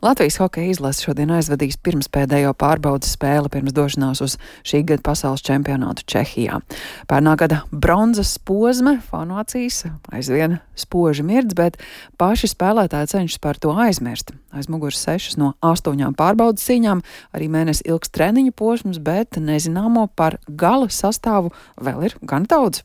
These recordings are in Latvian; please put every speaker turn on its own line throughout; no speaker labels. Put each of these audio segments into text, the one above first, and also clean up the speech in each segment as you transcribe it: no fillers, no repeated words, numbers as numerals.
Latvijas hokeja izlase šodien aizvadīs pirmspēdējo pārbaudas spēli pirms došanās uz šī gada pasaules čempionātu Čehijā. Pērnā gada bronzas posma fanu acīs aizvien spoži mirdz, bet paši spēlētāji cenšas par to aizmirst. Aiz muguras 6 no 8 pārbaudas cīņām, arī mēnesi ilgs treniņu posms, bet nezināmo par gala sastāvu vēl ir gan daudz.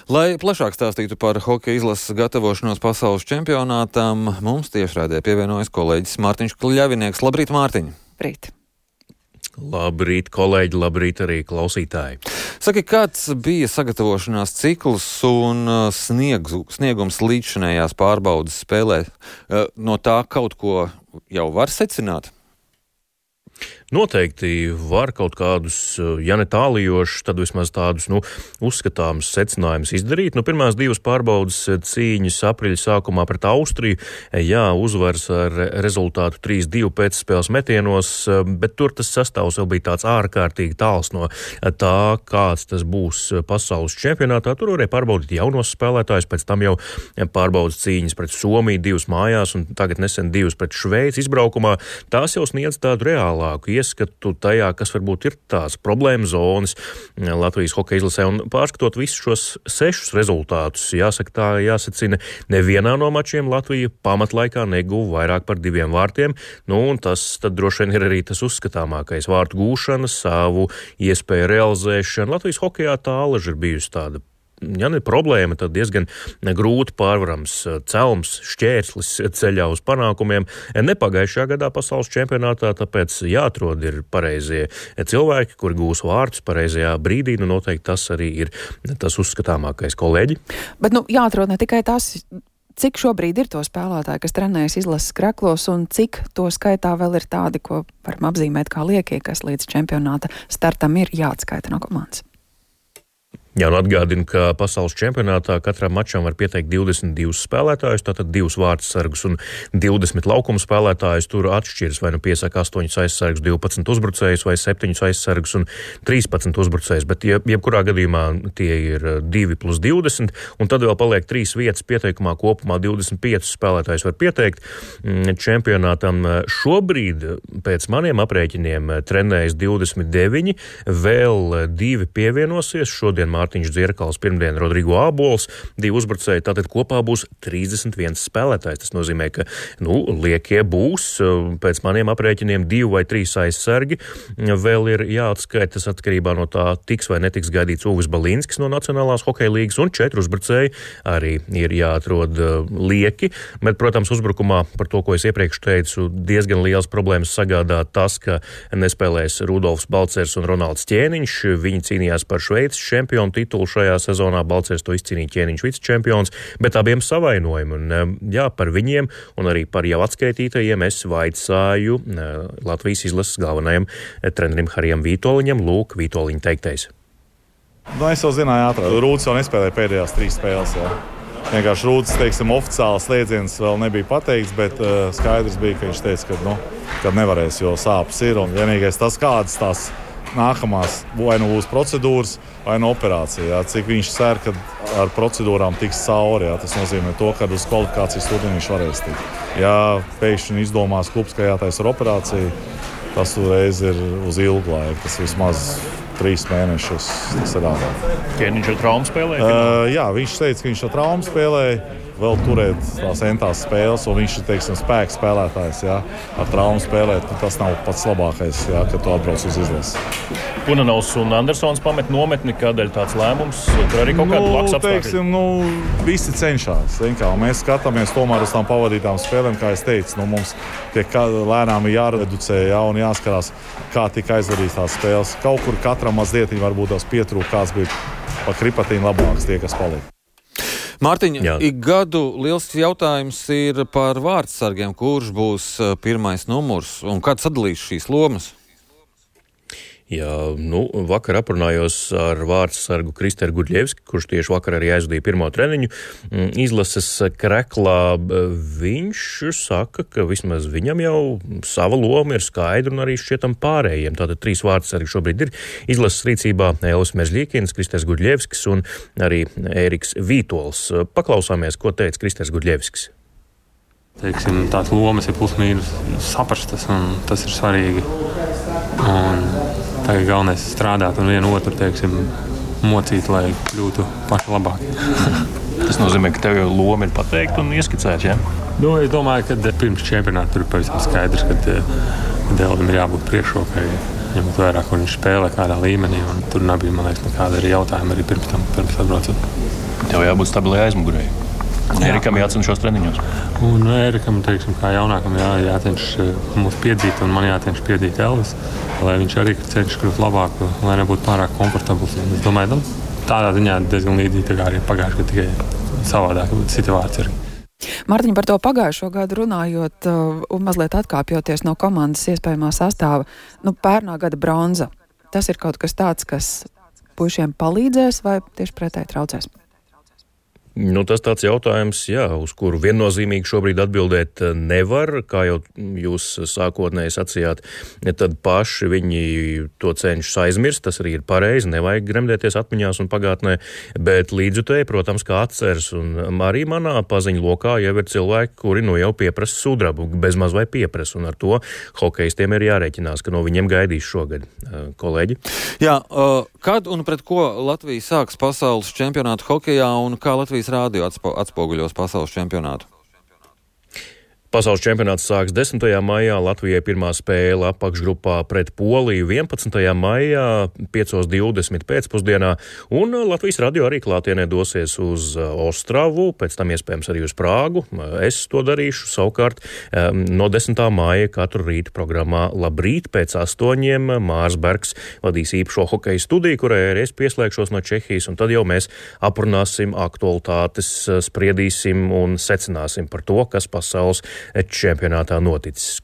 Lai plašāk stāstītu par hokeja izlases gatavošanos pasaules čempionātam, mums tiešraidē pievienojas kolēģis Mārtiņš Kļavinieks. Labrīt, Mārtiņ!
Labrīt!
Labrīt, kolēģi, labrīt arī klausītāji!
Saki, kāds bija sagatavošanās cikls un sniegums līdzšinējās pārbaudas spēlē? No tā kaut ko jau var secināt?
Noteikti var kaut kādus, ja ne tālijošus, tad vismaz tādus, uzskatāmus secinājumus izdarīt. Pirmās 2 pārbaudas cīņas aprīļa sākumā pret Austriju, uzvars ar rezultātu 3-2 pēcspēles metienos, bet tur tas sastāvs vēl bija tāds ārkārtīgi tāls no tā, kāds tas būs pasaules čempionātā. Tur varēja pārbaudīt jaunos spēlētājus, pēc tam jau pārbaudas cīņas pret Somiju 2 mājās un tagad nesen 2 pret Šveici izbraukumā. Tās jau sniedz tādu reālāku ieskatu tajā, kas varbūt ir tās problēma zonas Latvijas hokeja izlasē. Un pārskatot visus šos 6 rezultātus, jāsaka tā, jāsacina, nevienā no mačiem Latvija pamatlaikā neguva vairāk par 2 vārtiem. Un tas tad droši vien ir arī tas uzskatāmākais vārtu gūšana, savu iespēju realizēšana. Latvijas hokejā tā alaži ir bijusi tāda. Ja ne problēma, tad diezgan grūti pārvarams celms, šķērslis ceļā uz panākumiem. Nepagājušajā gadā pasaules čempionātā, tāpēc jāatrod ir pareizie cilvēki, kuri gūs vārtus pareizajā brīdī. Noteikti tas arī ir tas uzskatāmākais, kolēģi.
Bet jāatrod ne tikai tas, cik šobrīd ir to spēlētāji, kas trenējas izlases kreklos, un cik to skaitā vēl ir tādi, ko varam apzīmēt kā liekie, kas līdz čempionāta startam ir jāatskaita no komandas.
Jā, un atgādinu, ka pasaules čempionātā katram mačam var pieteikt 22 spēlētājus, tātad 2 vārtsargus un 20 laukuma spēlētājus. Tur atšķiras, vai piesaka 8 aizsargus, 12 uzbrucējus, vai 7 aizsargus un 13 uzbrucējus, bet jebkurā gadījumā tie ir 2+20, un tad vēl paliek 3 vietas pieteikumā, kopumā 25 spēlētājus var pieteikt čempionātam. Šobrīd pēc maniem aprēķiniem trenējas 29, vēl 2 pievienosies, šodien Mārtiņš Dzierkals, pirmdien Rodrigo Ābols, 2 uzbrucēji, tātad kopā būs 31 spēlētājs. Tas nozīmē, ka, liekie būs, pēc maniem aprēķiniem 2 vai 3 aizsargi. Vēl ir jāatskaita, tas atkarībā no tā tiks vai netiks gaidīts Uvis Balinskis no Nacionālās hokeja līgas, un 4 uzbrucēji arī ir jāatrod lieki. Bet, protams, uzbrukumā, par to, ko es iepriekš teicu, diezgan liels problēmas sagādā tas, ka nespēlēs Rudolfs Balcers un Ronalds Ķēniņš. Viņi cīnījās par Šveices čempionu titulu šajā sezonā, Balcers to izcīnīja, Ķēniņš vicečempions, bet abiem savainojumi. Un, par viņiem un arī par jau atskaitītajiem es vaicāju Latvijas izlases galvenajam trenerim Harijam Vītoliņam. Lūk, Vītoliņa teiktais.
Es jau zināju ātrāk. Rūds jau nespēlēja pēdējās 3 spēles. Vienkārši Rūds, oficiāls slēdziens vēl nebija pateikts, bet skaidrs bija, ka viņš teica, ka nevarēs, jo sāpes ir. Un vienīgais tas, kādas tās nākamās vai būs procedūras, vai operācija. Cik viņš cer, ka ar procedūrām tiks cauri. Tas nozīmē to, ka uz kvalifikācijas turnīru viņš varēs tikt. Ja pēkšņi izdomās klubs, ka jātaisa ar operāciju, tas uzreiz ir uz ilgu laiku. Tas vismaz 3 mēnešus. Tas ir ārāk.
Ķēniņš ar traumu spēlēja?
Jā, viņš teica, ka viņš ar traumu spēlēja. Vēl turēt tās entās spēles, un viņš ir, spēks spēlētājs, ar traumu spēlēt, tas nav pats labākais, kad tu atbrauc uz izlasi.
Punanovs un Andersons pamet nometni, kādēļ tāds lēmums? Tur arī kaut kāda laks apstākļi?
Visi cenšās. Mēs skatāmies tomēr uz tām pavadītām spēlēm, kā es teicu. Mums tiek lēnām jāreducē, un jāskarās, kā tika aizvadīts tās spēles. Kaut kur katram mazliet varbūt tās pietrūk, kāds bija pa kripatīm labāks tie, kas paliek.
Mārtiņ, ik gadu liels jautājums ir par vārtsargiem, kurš būs pirmais numurs un kāds sadalīs šīs lomas?
Jā, vakar aprunājos ar vārtsargu Kristeru Gudļevski, kurš tieši vakar arī aizvadīja pirmo treniņu izlases kreklā. Viņš saka, ka vismaz viņam jau sava loma ir skaidra un arī šķietam pārējiem. Tātad 3 vārtsargi šobrīd ir izlases rīcībā: Elvis Mežļīkins, Kristers Gudļevskis un arī Ēriks Vītols. Paklausāmies, ko teica Kristers Gudļevskis.
Teiksim, tās lomas ir plus-mīnus saprastas, un tas ir svarīgi. Un tagad galvenais ir strādāt un vienu otru, teiksim, mocīt, lai kļūtu paši labāki.
Tas nozīmē, ka tev loma ir pateikta un ieskicēta, ja?
Es domāju, ka pirms čempionāta tur ir pavisam skaidrs, ka Elvim ir jābūt priekšrokai, ņemot vērā, kur viņš spēlē, kādā līmenī. Un tur nebija, man liekas, nekāda arī jautājuma arī pirms atbraucot.
Tev jābūt stabilai aizmugurēji. Erikam jācenšas treniņos.
Un Erikam, teiksim, kā jaunākam, jācenšas mūs piedzīt, un man jācenšas piedzīt Elvis, lai viņš arī cenšas kļūt labāk, lai nebūtu pārāk komfortabls. Es domāju, tādā ziņā diezgan līdzīgi tā kā arī pagājuši, ka tikai savādāk situācija arī.
Mārtiņ, par to pagājušo gadu runājot un mazliet atkāpjoties no komandas iespējamā sastāva, pērnā gada bronza. Tas ir kaut kas tāds, kas puišiem palīdzēs vai tieši pretēji traucēs?
Tas tāds jautājums, uz kuru viennozīmīgi šobrīd atbildēt nevar, kā jau jūs sākotnēji sacījāt, tad paši viņi to cenšas aizmirst, tas arī ir pareizi, nevajag gremdēties atmiņās un pagātnē, bet līdzjutēji, protams, kā atceras, un arī manā paziņu lokā jau ir cilvēki, kuri jau pieprasa sudrabu, bezmaz vai pieprasa, un ar to hokejistiem ir jārēķinās, ka no viņiem gaidīs šogad. Kolēģi?
Jā, kad un pret ko Latvija sāks pasaules čempionātu hokejā un kā Latvijas rādio atspoguļos pasaules čempionātu?
Pasaules čempionāts sāks 10. maijā, Latvijai pirmā spēle apakšgrupā pret Poliju 11. maijā 5:20 pēcpusdienā, un Latvijas radio arī klātienē dosies uz Ostravu, pēc tam iespējams arī uz Prāgu. Es to darīšu savukārt no 10. maija katru rītu programmā Labrīt pēc 8. Mārs Bergs vadīs īpašo hokeja studiju, kurai arī es pieslēgšos no Čehijas, un tad jau mēs aprunāsim aktualitātes, spriedīsim un secināsim par to, kas pasaules čempionātā noticis.